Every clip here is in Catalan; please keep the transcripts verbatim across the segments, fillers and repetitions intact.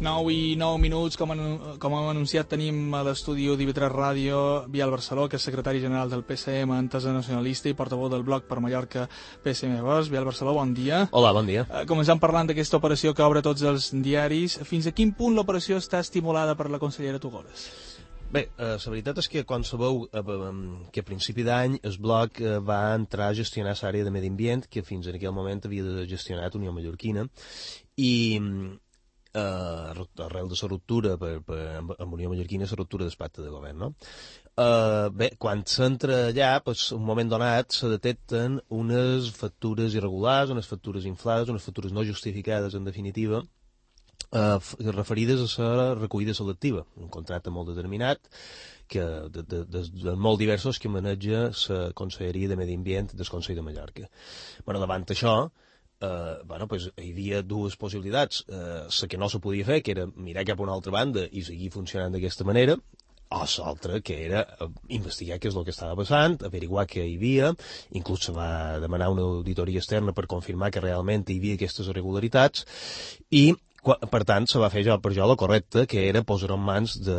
nou i nou minuts, com, anu com hem anunciat, tenim a l'estudi d'I V tres Ràdio Biel Barceló, que és secretari general del P S M, entesa nacionalista i portaveu del bloc per Mallorca P S M Vox. Biel Barceló, bon dia. Hola, bon dia. Uh, començant parlant d'aquesta operació que obre tots els diaris, fins a quin punt l'operació està estimulada per la consellera Tugores? Bé, eh, la veritat és que quan sabeu eh, que a principi d'any el bloc eh, va entrar a gestionar l'àrea de medi ambient, que fins en aquell moment havia gestionat Unió Mallorquina, i eh, arrel de la ruptura per, per, amb Unió Mallorquina, la ruptura del pacte de govern, no? Eh, bé, quan s'entra allà, pues, un moment donat se detecten unes factures irregulars, unes factures inflades, unes factures no justificades, en definitiva, Uh, referides a la recollida selectiva, un contracte molt determinat que de, de, de, de molt diversos que maneja la Conselleria de Medi Ambient del Consell de Mallorca. Bueno, davant això, uh, bueno, pues, hi havia dues possibilitats. Uh, la que no se podia fer, que era mirar cap a una altra banda i seguir funcionant d'aquesta manera, o l'altra, que era investigar què és el que estava passant, averiguar què hi havia, inclús se va demanar una auditoria externa per confirmar que realment hi havia aquestes irregularitats, i per tant, se va fer jo, per jo la correcta, que era posar en mans de,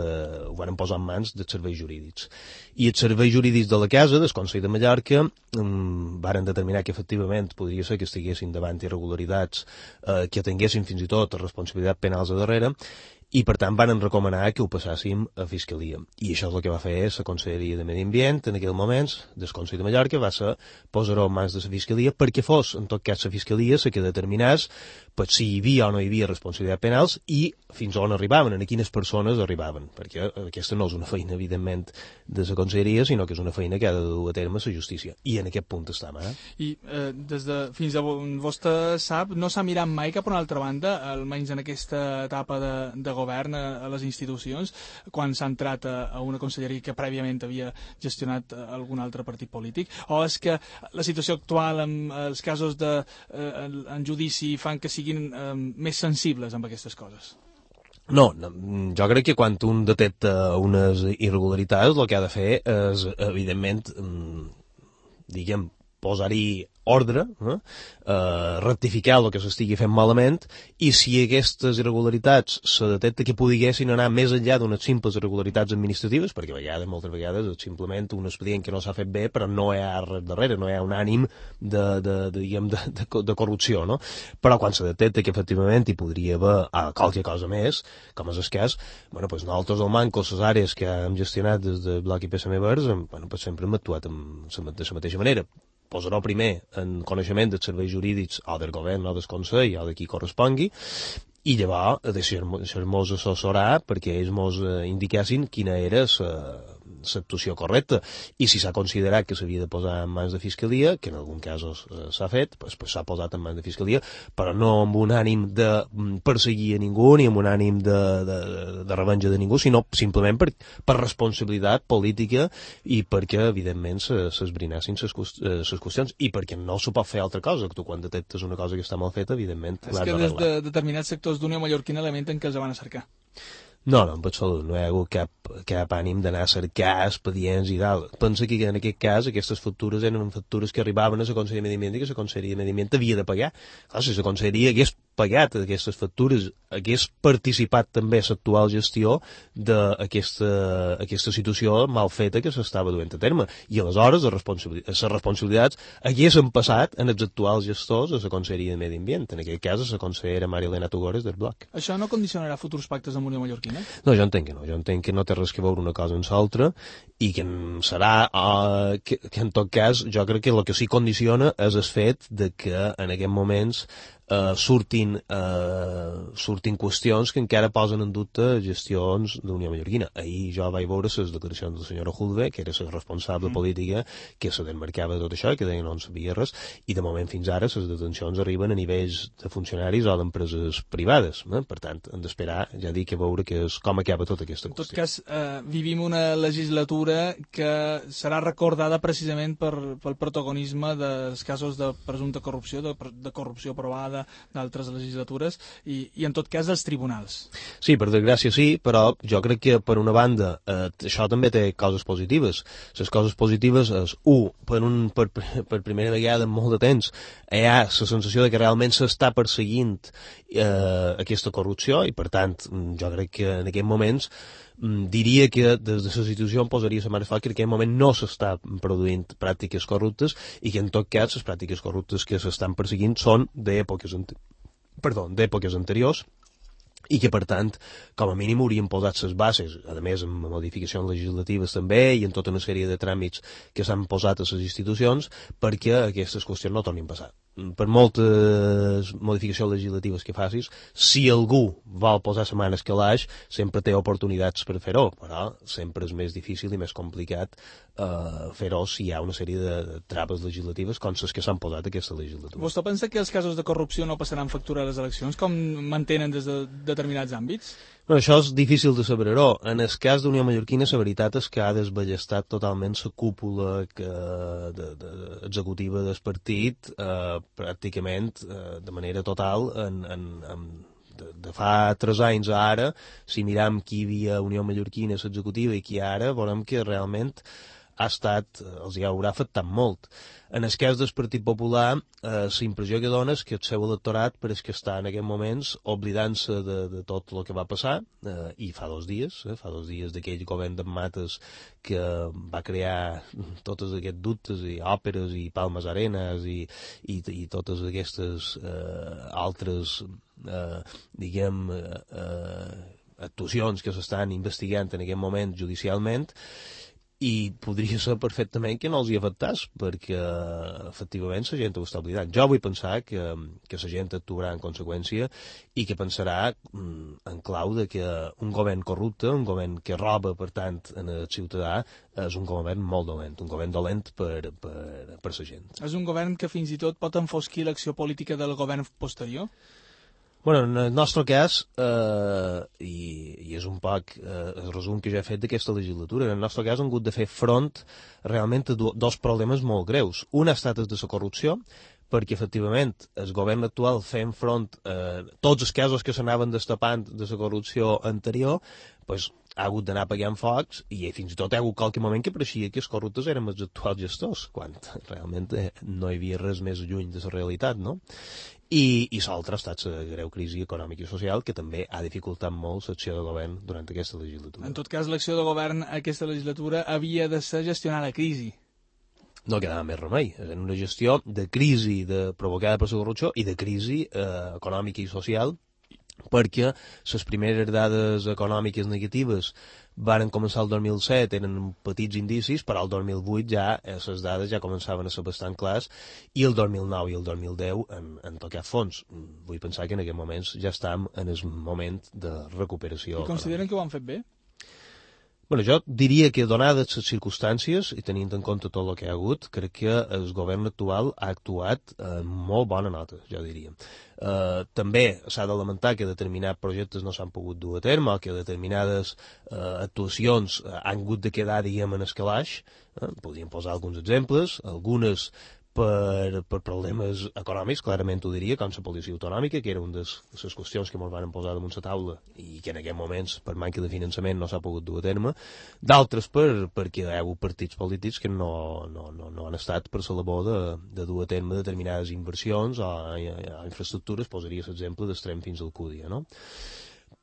ho van posar en mans dels serveis jurídics. I els serveis jurídics de la casa, del Consell de Mallorca, um, varen determinar que efectivament podria ser que estiguessin davant irregularitats eh, que tinguessin fins i tot responsabilitat penals a darrere, i per tant van recomanar que ho passàssim a Fiscalia. I això és el que va fer la Conselleria de Medi Ambient en aquell moment, del Consell de Mallorca, va ser posar-ho en mans de la Fiscalia perquè fos, en tot cas, la Fiscalia la que determinés per si hi havia o no hi havia responsabilitat penals i fins on arribaven, a quines persones arribaven, perquè aquesta no és una feina, evidentment, de la Conselleria, sinó que és una feina que ha de dur a terme la justícia. I en aquest punt estem, eh? I eh, des de, fins a vostè sap, no s'ha mirat mai cap a una altra banda, almenys en aquesta etapa de, de govern a, a les institucions, quan s'ha entrat a, a una conselleria que prèviament havia gestionat algun altre partit polític, o és que la situació actual amb els casos de, eh, en judici fan que siguin eh, més sensibles amb aquestes coses? No, no, jo crec que quan un detecta unes irregularitats el que ha de fer és, evidentment, diguem, posar-hi ordre, eh? Uh, rectificar el que s'estigui fent malament, i si aquestes irregularitats se detecta que podiguessin anar més enllà d'unes simples irregularitats administratives, perquè a vegades, moltes vegades, és simplement un expedient que no s'ha fet bé, però no hi ha res darrere, no hi ha un ànim de, de, de, diguem, de, de, de corrupció, no? Però quan se detecta que efectivament hi podria haver ah, qualque cosa més, com és el cas, bueno, pues nosaltres al Manco, les àrees que hem gestionat des de Bloc i P S M Verds, bueno, pues sempre hem actuat amb, de la mateixa manera. Posarà primer en coneixement dels serveis jurídics o del govern o del Consell o de qui correspongui, i llavors deixar-nos assessorar perquè ells ens indiquessin quina era l'actuació correcta, i si s'ha considerat que s'havia de posar en mans de Fiscalia, que en algun cas s'ha fet, pues, pues s'ha posat en mans de Fiscalia, però no amb un ànim de perseguir a ningú ni amb un ànim de, de, de revenja de ningú, sinó simplement per, per responsabilitat política i perquè, evidentment, s'esbrinessin les qüestions, i perquè no s'ho pot fer altra cosa, que tu quan detectes una cosa que està mal feta, evidentment l'has d'arreglar. És que des de determinats sectors d'Unió Mallorquina lamenten que els van a cercar. No, no, en absolut, no hi ha hagut cap, cap ànim d'anar a cercar expedients i tal. Pensa que en aquest cas aquestes factures eren factures que arribaven a la Conselleria de Medi Ambient i que la Conselleria de Medi Ambient havia de pagar. Clar, si la Conselleria hagués pagat aquestes factures, hagués participat també a l'actual gestió d'aquesta aquesta situació mal feta que s'estava duent a terme. I aleshores les responsabilitats, les responsabilitats haguessin passat en els actuals gestors a la Conselleria de Medi Ambient, en aquest cas a la consellera Maria Elena Tugores del Bloc. Això no condicionarà futurs pactes amb Unió Mallorquina? No, jo entenc que no. Jo entenc que no té res que veure una cosa amb l'altra i que serà, uh, que, que en tot cas, jo crec que el que sí condiciona és el fet de que en aquests moments Uh, surtin, uh, surtin qüestions que encara posen en dubte gestions d'Unió Mallorquina. Ahir jo vaig veure les declaracions de la senyora Hulve, que era la responsable mm. política, que se desmarcava de tot això i que deia no en sabia res, i de moment fins ara les detencions arriben a nivells de funcionaris o d'empreses privades. Eh? Per tant, hem d'esperar, ja dic, a veure que és, com acaba tota aquesta qüestió. En tot cas, eh, vivim una legislatura que serà recordada precisament per, pel protagonisme dels casos de presumpta corrupció, de, de corrupció provada d'altres legislatures, i, i en tot cas dels tribunals. Sí, per desgràcia sí, però jo crec que per una banda eh, això també té coses positives. Les coses positives és, un, per, un, per, per primera vegada en molt de temps hi ha la sensació de que realment s'està perseguint eh, aquesta corrupció, i per tant jo crec que en aquests moments diria que des de la situació em posaria la mà al foc que en aquest moment no s'està produint pràctiques corruptes, i que en tot cas les pràctiques corruptes que s'estan perseguint són d'èpoques perdó, d'èpoques anteriors, i que, per tant, com a mínim haurien posat les bases, a més amb modificacions legislatives també i en tota una sèrie de tràmits que s'han posat a les institucions perquè aquestes qüestions no tornin a passar. Per moltes modificacions legislatives que facis, si algú vol posar la mà en el calaix, sempre té oportunitats per fer-ho, però sempre és més difícil i més complicat eh, fer-ho si hi ha una sèrie de traves legislatives com les que s'han posat a aquesta legislatura. Vostè pensa que els casos de corrupció no passaran factura a les eleccions, com mantenen des de determinats àmbits? No, això és difícil de saber-ho. En el cas d'Unió Mallorquina, la veritat és que ha desballestat totalment la cúpula que, de, de, executiva del partit, eh, pràcticament eh, de manera total, en, en, en, de, de fa tres anys a ara. Si miram qui hi havia a Unió Mallorquina, l'executiva, i qui ara, veurem que realment ha estat, els hi haurà afectat molt. En el cas del Partit Popular, eh, la impressió que dona és que el seu electorat pareix que està en aquests moments oblidant-se de, de tot el que va passar, eh, i fa dos dies, eh, fa dos dies d'aquell govern d'en Mates que va crear tots aquests dubtes i òperes i Palmes Arenas i, i, i totes aquestes eh, altres, eh, diguem, eh, eh, actuacions que s'estan investigant en aquest moment judicialment, i podria ser perfectament que no els hi afectés, perquè efectivament la gent ho està oblidant. Jo vull pensar que, que la gent actuarà en conseqüència i que pensarà en clau de que un govern corrupte, un govern que roba, per tant, en el ciutadà, és un govern molt dolent, un govern dolent per, per, per la gent. És un govern que fins i tot pot enfosquir l'acció política del govern posterior? Bueno, en el nostre cas, eh, i, i és un poc eh, el resum que ja he fet d'aquesta legislatura, en el nostre cas hem hagut de fer front realment a do, dos problemes molt greus. Un ha estat el de la corrupció, perquè efectivament el govern actual fent front a tots els casos que s'anaven destapant de la corrupció anterior, pues, ha hagut d'anar apagant focs, i fins i tot hi ha hagut qualque moment que pareixia que els corruptes eren els actuals gestors, quan realment no hi havia res més lluny de la realitat, no? I, i l'altre ha estat la greu crisi econòmica i social, que també ha dificultat molt l'acció de govern durant aquesta legislatura. En tot cas, l'acció de govern aquesta legislatura havia de ser gestionar la crisi. No quedava més remei. És una gestió de crisi de, provocada per la corrupció i de crisi eh, econòmica i social, perquè les primeres dades econòmiques negatives varen començar el dos mil set, eren petits indicis, però el dos mil vuit ja les dades ja començaven a ser bastant clars, i el dos mil nou i el dos mil deu en, en tocat fons. Vull pensar que en aquests moments ja estem en el moment de recuperació. I consideren que ho han fet bé? Bueno, jo diria que, donades les circumstàncies i tenint en compte tot el que hi ha hagut, crec que el govern actual ha actuat en molt bona nota, jo diria. Eh, també s'ha de lamentar que determinats projectes no s'han pogut dur a terme, o que determinades eh, actuacions han hagut de quedar, diguem, en el calaix. Eh, podríem posar alguns exemples, algunes per, per problemes econòmics, clarament ho diria, com la policia autonòmica, que era una de les qüestions que ens van posar damunt la taula i que en aquests moments, per manca de finançament, no s'ha pogut dur a terme. D'altres per, perquè hi ha hagut partits polítics que no, no, no, no han estat per la labor de, de dur a terme determinades inversions o, o infraestructures, posaria l'exemple d'Extrem fins al Cúdia, no?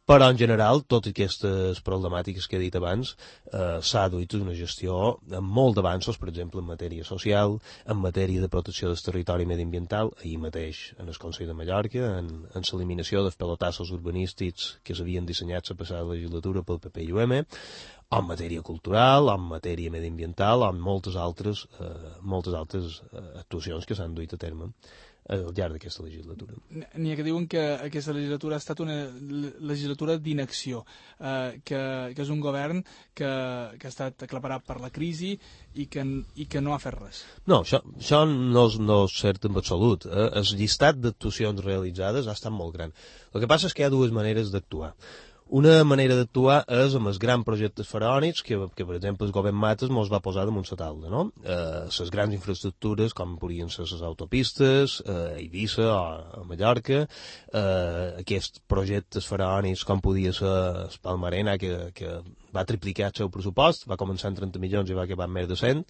Però, en general, totes aquestes problemàtiques que he dit abans eh, s'ha duit una gestió amb molt d'avanços, per exemple, en matèria social, en matèria de protecció del territori mediambiental, ahir mateix en el Consell de Mallorca, en, en l'eliminació dels pelotassos urbanístics que s'havien dissenyat la passada legislatura pel P P i U M, en matèria cultural, en matèria mediambiental, en moltes altres, eh, moltes altres eh, actuacions que s'han duit a terme al llarg d'aquesta legislatura. N'hi ha que diuen que aquesta legislatura ha estat una legislatura d'inacció, eh, que, que és un govern que, que ha estat aclaparat per la crisi i que, i que no ha fet res. No, això, això no, és, no és cert en absolut. Eh? El llistat d'actuacions realitzades ha estat molt gran. El que passa és que hi ha dues maneres d'actuar. Una manera d'actuar és amb els grans projectes faraònics que, que per exemple, el govern Mates mos va posar damunt la taula, no? Eh, les grans infraestructures, com podrien ser les autopistes, eh, a Eivissa o a Mallorca, eh, aquests projectes faraònics com podia ser el Palmarena, que, que va triplicar el seu pressupost, va començar en trenta milions i va acabar amb més de cent,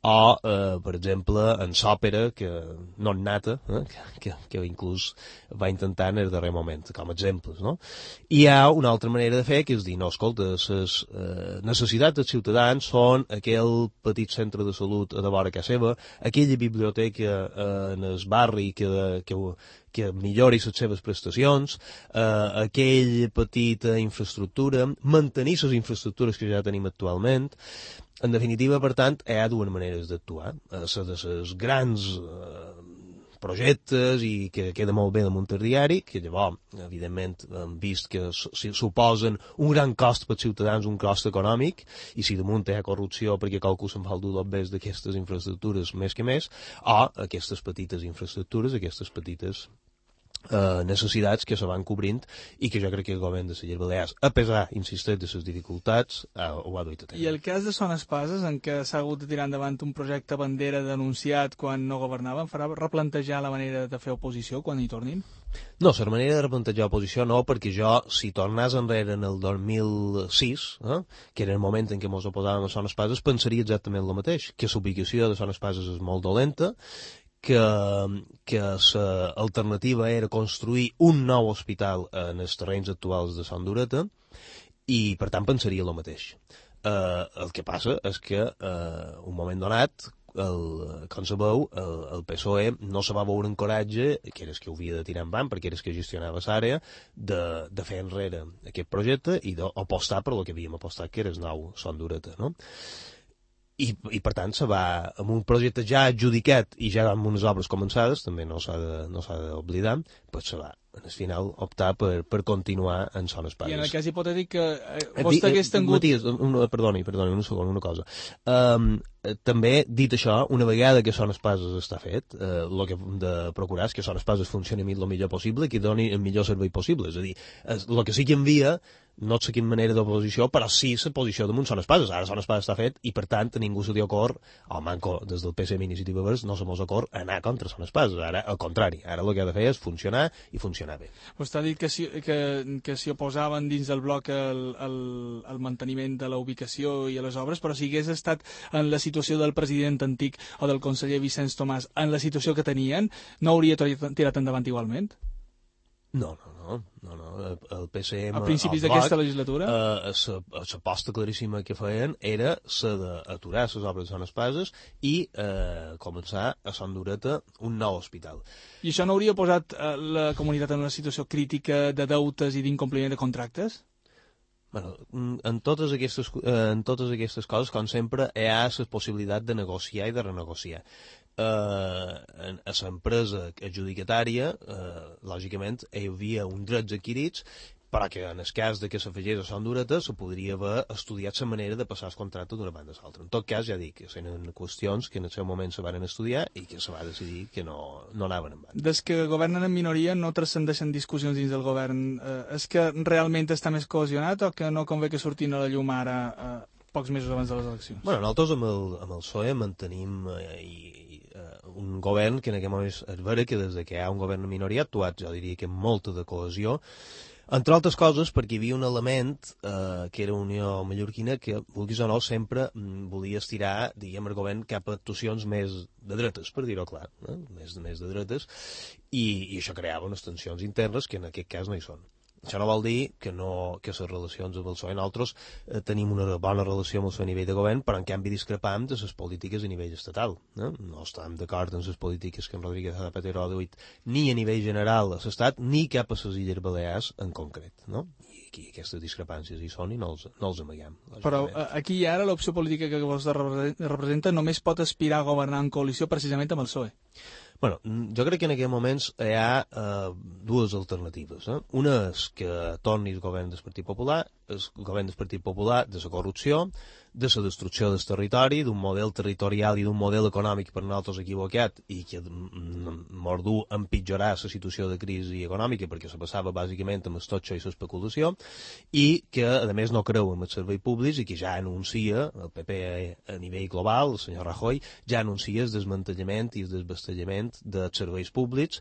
o, eh, per exemple, en Sòpera, que no en Nata, eh, que, que inclús va intentar en el darrer moment, com a exemples, no? I hi ha una altra manera de fer, que és dir, no, escolta, les eh, necessitats dels ciutadans són aquell petit centre de salut a de vora casa seva, aquella biblioteca eh, en el barri que, que, que millori les seves prestacions, eh, aquella petita infraestructura, mantenir les infraestructures que ja tenim actualment. En definitiva, per tant, hi ha dues maneres d'actuar. La de les grans eh, projectes i que queda molt bé damunt el diari, que llavors, evidentment, hem vist que suposen un gran cost pels ciutadans, un cost econòmic, i si damunt hi ha corrupció perquè qualcú se'n fa el dur dos d'aquestes infraestructures més que més, o aquestes petites infraestructures, aquestes petites Uh, necessitats que se van cobrint i que jo crec que el govern de les Illes Balears, a pesar, insisteix, de les dificultats, uh, ho ha duit a terme. I el cas de Son Espases, en què s'ha hagut de tirar endavant un projecte bandera denunciat quan no governaven, farà replantejar la manera de fer oposició quan hi tornin? No, la manera de replantejar oposició no, perquè jo, si tornés enrere en el dos mil sis, eh, que era el moment en què ens oposàvem a Son Espases, pensaria exactament el mateix, que l'ubicació de Son Espases és molt dolenta, que, que l'alternativa era construir un nou hospital en els terrenys actuals de Son Dureta i, per tant, pensaria el mateix. Eh, el que passa és que, eh, un moment donat, el, com sabeu, el, el P S O E no se va veure en coratge, que era el que ho havia de tirar en van, perquè era el que gestionava l'àrea, de, de fer enrere aquest projecte i d'apostar per el que havíem apostat, que era el nou Son Dureta, no? I, i per tant se va, amb un projecte ja adjudicat i ja amb unes obres començades, també no s'ha de, no s'ha d'oblidar, pues se va, en el final, optar per, per continuar en Son Espases. I en el cas hipotètic que eh, vostè hagués tingut... Matías, un, perdoni, perdoni, un segon, una cosa. Um, també, dit això, una vegada que Son Espases està fet, eh, el que hem de procurar és que Son Espases funcioni el millor possible i que doni el millor servei possible. És a dir, el que sí que envia no sé quina manera d'oposició, però sí la posició damunt Son Espases. Ara Son Espases està fet i, per tant, a ningú se li ocorre, o manco des del P S M Iniciativa Verds, no se mos ocorre anar contra Son Espases. Ara, al contrari, ara el que ha de fer és funcionar i funcionar bé. Vostè ha dit que s'hi que, que si oposaven dins del bloc el, el, el manteniment de la ubicació i a les obres, però si hagués estat en la situació del president antic o del conseller Vicenç Tomàs, en la situació que tenien, no hauria tirat endavant igualment? No, no, no, no, no. El P S M... A principis d'aquesta legislatura? Eh, l'aposta claríssima que feien era la d'aturar les obres de Son Espases i eh, començar a Son Dureta un nou hospital. I això no hauria posat eh, la comunitat en una situació crítica de deutes i d'incompliment de contractes? Bueno, en totes aquestes, en totes aquestes coses, com sempre, hi ha la possibilitat de negociar i de renegociar. Eh, a l'empresa adjudicatària, eh, lògicament, hi havia uns drets adquirits, però que en el cas de que s'afegís a Son Dureta se podria haver estudiat la manera de passar el contracte d'una banda a l'altra. En tot cas, ja dic, que eren qüestions que en el seu moment se van estudiar i que se va decidir que no, no anaven en banda. Des que governen en minoria no transcendeixen discussions dins del govern. Eh, és que realment està més cohesionat o que no convé que surtin a la llum ara eh, pocs mesos abans de les eleccions? Bueno, nosaltres amb el, amb el P S O E mantenim eh, i, eh, un govern que en aquest moment és vera que des que hi ha un govern en minoria ha actuat, jo diria que amb molta de cohesió, entre altres coses perquè hi havia un element eh, que era Unió Mallorquina que, vulguis o no, sempre mm, volia estirar, diguem, el govern cap a actuacions més de dretes, per dir-ho clar, eh? més, més de dretes, i, i això creava unes tensions internes que en aquest cas no hi són. Això no vol dir que, no, que les relacions amb el P S O E nosaltres eh, tenim una bona relació amb el seu nivell de govern, però en canvi discrepam de les polítiques a nivell estatal. Eh? No estem d'acord en les polítiques que en Rodríguez Zapatero ha duit ni a nivell general a l'Estat, ni cap a les Illes Balears en concret. No? I aquí aquestes discrepàncies hi són i no els, no els amaguem. Però eh, aquí i ara l'opció política que vostè representa només pot aspirar a governar en coalició precisament amb el P S O E. Bueno, jo crec que en aquests moments hi ha eh, dues alternatives. Eh? Una és que torni el govern del Partit Popular, el govern del Partit Popular de la corrupció, de la destrucció del territori, d'un model territorial i d'un model econòmic per nosaltres equivocat i que mos du a empitjorar la situació de crisi econòmica perquè se passava bàsicament amb el totxo i l'especulació i que a més no creu en els serveis públics i que ja anuncia, el P P a nivell global, el senyor Rajoy, ja anuncia el desmantellament i el desballestament dels serveis públics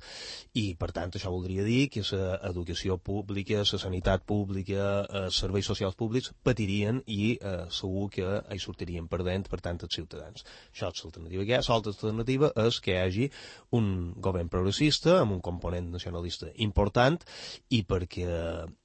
i per tant això voldria dir que l'educació pública, la sanitat pública, els serveis socials públics patirien i eh, segur que que hi sortirien perdent, per tant, els ciutadans. Això és l'alternativa que hi ha. L'altra alternativa és que hi hagi un govern progressista amb un component nacionalista important i, perquè,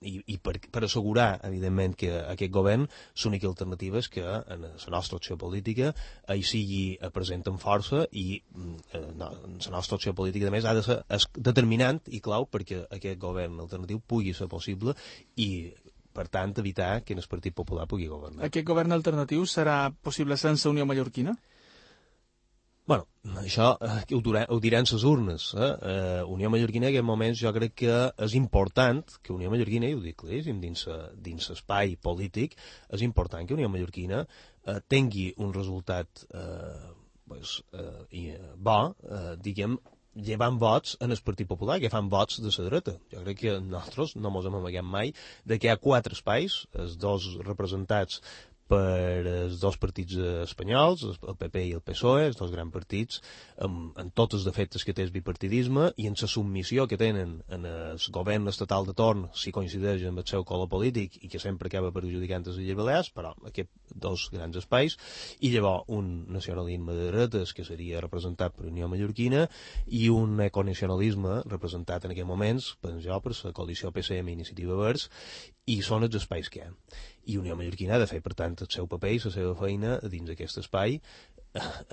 i, i per, per assegurar, evidentment, que aquest govern l'única alternativa és que en la nostra opció política hi sigui present amb força i eh, no, la nostra opció política, a més, ha de ser determinant i clau perquè aquest govern alternatiu pugui ser possible i per tant, evitar que el Partit Popular pugui governar. Aquest govern alternatiu serà possible sense Unió Mallorquina? Bueno, això eh, ho, durà, ho diran les urnes. Eh? Eh, Unió Mallorquina, en aquest moments, jo crec que és important que Unió Mallorquina, i ho dic claríssim, dins l'espai polític, és important que Unió Mallorquina eh, tingui un resultat eh, pues, eh, bo, eh, diguem, llevant vots en el Partit Popular, que fan vots de la dreta. Jo crec que nosaltres no ens hem amagat mai de que hi ha quatre espais, els dos representats per els dos partits espanyols, el P P i el P S O E, els dos grans partits, amb, amb tots els defectes que té el bipartidisme i en la submissió que tenen en el govern estatal de torn, si coincideix amb el seu color polític i que sempre acaba perjudicant les Illes Balears, però aquests dos grans espais, i llavors un nacionalisme de dretes que seria representat per Unió Mallorquina i un econacionalisme representat en aquests moments, penso jo, per la coalició P S M i Iniciativa Verds, i són els espais que hi ha. I Unió Mallorquina ha de fer, per tant, el seu paper i la seva feina dins d'aquest espai,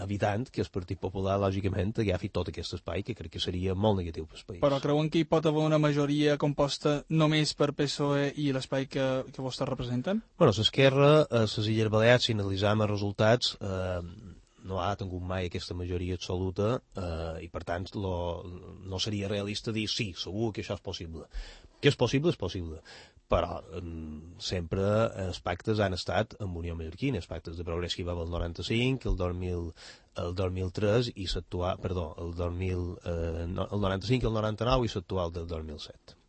evitant que el Partit Popular, lògicament, agafi tot aquest espai, que crec que seria molt negatiu per al país. Però creuen que hi pot haver una majoria composta només per P S O E i l'espai que, que vostès representen? Bueno, l'esquerra, a les Illes Balears, si analitzam els resultats, eh, no ha tingut mai aquesta majoria absoluta eh, i, per tant, lo, no seria realista dir sí, segur que això és possible. Que és possible, és possible. Però eh, sempre els pactes han estat amb Unió Mallorquina, els pactes de progrés que hi va haver el noranta-cinc, el dos mil, el dos mil tres i l'actual, perdó, el dos mil, eh, el noranta-cinc i el noranta-nou i l'actual del dos mil set.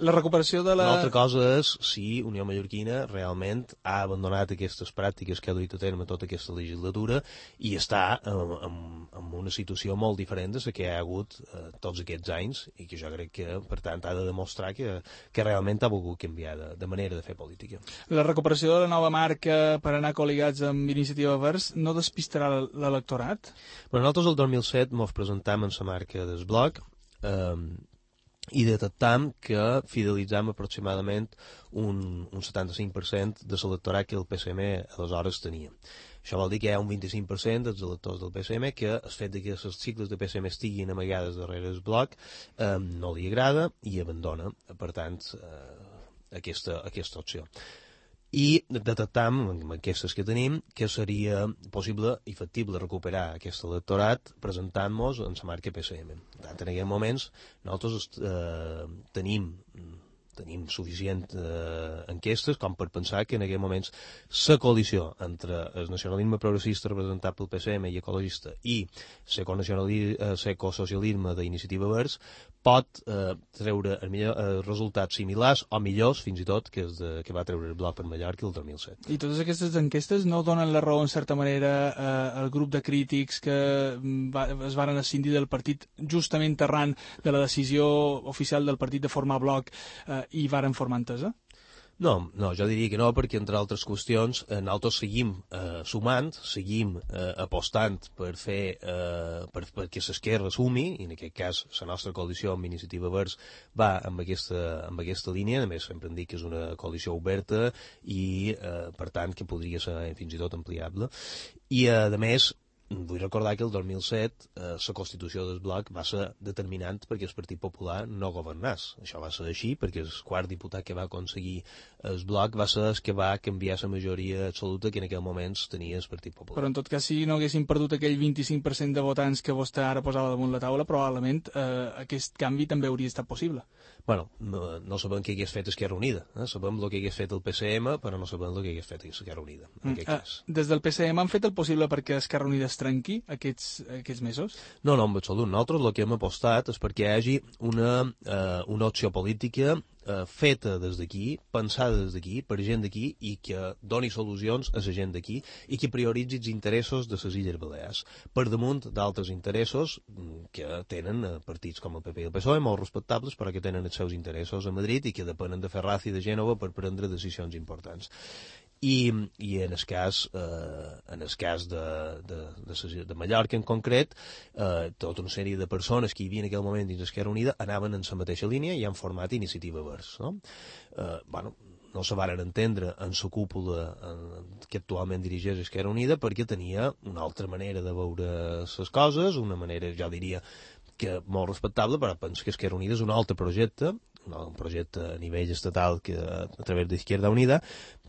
La recuperació de la... Una altra cosa és si Unió Mallorquina realment ha abandonat aquestes pràctiques que ha duit a terme tota aquesta legislatura i està en, en, en una situació molt diferent de la que hi ha hagut eh, tots aquests anys i que jo crec que, per tant, ha de demostrar que, que realment ha volgut canviar de, de manera de fer política. La recuperació de la nova marca per anar col·ligats amb Iniciativa Verds no despistarà l'electorat? Bueno, nosaltres el dos mil set mos presentam en la marca del blog eh, i detectam que fidelitzam aproximadament un, un setanta-cinc per cent de l'electorat que el P S M aleshores tenia. Això vol dir que hi ha un vint-i-cinc per cent dels electors del P S M que el fet que les sigles de P S M estiguin amagades darrere el bloc eh, no li agrada i abandona, per tant, eh, aquesta, aquesta opció. I detectam, amb aquestes que tenim, que seria possible i factible recuperar aquest electorat presentant-nos en la marca P S M. Per tant, en aquests moments nosaltres eh, tenim tenim suficient eh, enquestes com per pensar que en aquests moments la coalició entre el nacionalisme progressista representat pel P S M i ecologista i l'ecosocialisme d'Iniciativa Verds pot eh, treure el millor, eh, resultats similars o millors fins i tot que, és de, que va treure el Bloc per Mallorca el dos mil set. I totes aquestes enquestes no donen la raó en certa manera eh, al grup de crítics que va, es varen escindir del partit justament arran de la decisió oficial del partit de formar Bloc eh, i varen formar Entesa? No, no, jo diria que no, perquè entre altres qüestions eh, nosaltres seguim eh, sumant, seguim eh, apostant per fer eh, per, perquè l'esquerra sumi, i en aquest cas la nostra coalició amb Iniciativa Verds va amb aquesta, amb aquesta línia, a més sempre hem dit que és una coalició oberta i eh, per tant que podria ser fins i tot ampliable, i eh, a més vull recordar que el dos mil set eh, la Constitució del bloc va ser determinant perquè el Partit Popular no governés. Això va ser així perquè el quart diputat que va aconseguir el bloc va ser el que va canviar la majoria absoluta que en aquell moment tenia el Partit Popular. Però en tot cas, si no haguessin perdut aquell vint-i-cinc per cent de votants que vostè ara posava damunt la taula, probablement eh, aquest canvi també hauria estat possible. Bueno, no, no sabem què hagués fet Esquerra Unida. Eh? Sabem el que hagués fet el P C M, però no sabem el que hagués fet Esquerra Unida. En aquest Mm. cas. Eh, des del P C M han fet el possible perquè Esquerra Unida es trenqui aquests, aquests mesos? No, no, en absolut. Nosaltres el que hem apostat és perquè hi hagi una, eh, una opció política eh, feta des d'aquí, pensada des d'aquí, per gent d'aquí, i que doni solucions a la gent d'aquí i que prioritzi els interessos de les Illes Balears per damunt d'altres interessos que tenen eh, partits com el P P i el P S O E, molt respectables, però que tenen els seus interessos a Madrid i que depenen de Ferraz i de Gènova per prendre decisions importants. I, i en el cas, eh, en el cas de, de, de, de Mallorca en concret, eh, tota una sèrie de persones que hi havia en aquell moment dins Esquerra Unida anaven en la mateixa línia i han format Iniciativa Verds. No? Eh, bueno, no se varen entendre en la cúpula en, que actualment dirigeix Esquerra Unida perquè tenia una altra manera de veure les coses, una manera, jo diria, que molt respectable, però penso que Esquerra Unida és un altre projecte, un projecte a nivell estatal que, a través d'Izquierda Unida,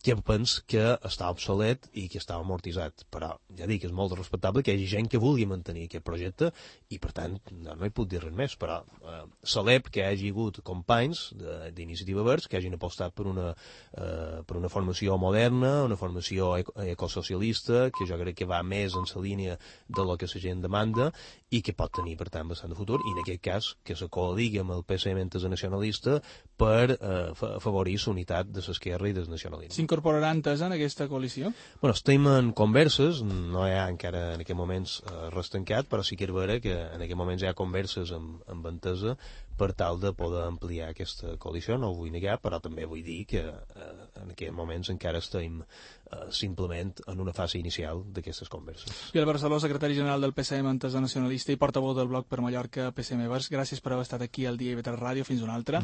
que penso que està obsolet i que està amortitzat. Però, ja dic, és molt respectable que hi hagi gent que vulgui mantenir aquest projecte i, per tant, no, no hi puc dir res més, però eh, celeb que hi hagi hagut companys d'Iniciativa Verds que hagin apostat per una, eh, per una formació moderna, una formació ecosocialista, que jo crec que va més en la línia de lo que la gent demanda i que pot tenir, per tant, bastant de futur, i en aquest cas que se codigui amb el P S M Entesa Nacionalista per eh, afavorir la unitat de l'esquerra i del nacionalisme. S'incorporarà Entesa en aquesta coalició? Bueno, estem en converses, no hi ha encara en aquests moments eh, res tancat, però sí que és vera que en aquests moments hi ha converses amb, amb Entesa per tal de poder ampliar aquesta coalició, no ho vull negar, però també vull dir que eh, en aquests moments encara estem eh, simplement en una fase inicial d'aquestes converses. Biel Barceló, secretari general del P S M Entesa Nacionalista i portaveu del bloc per Mallorca P S M Verds, gràcies per haver estat aquí al Dia i Vetres Ràdio. Fins una altra.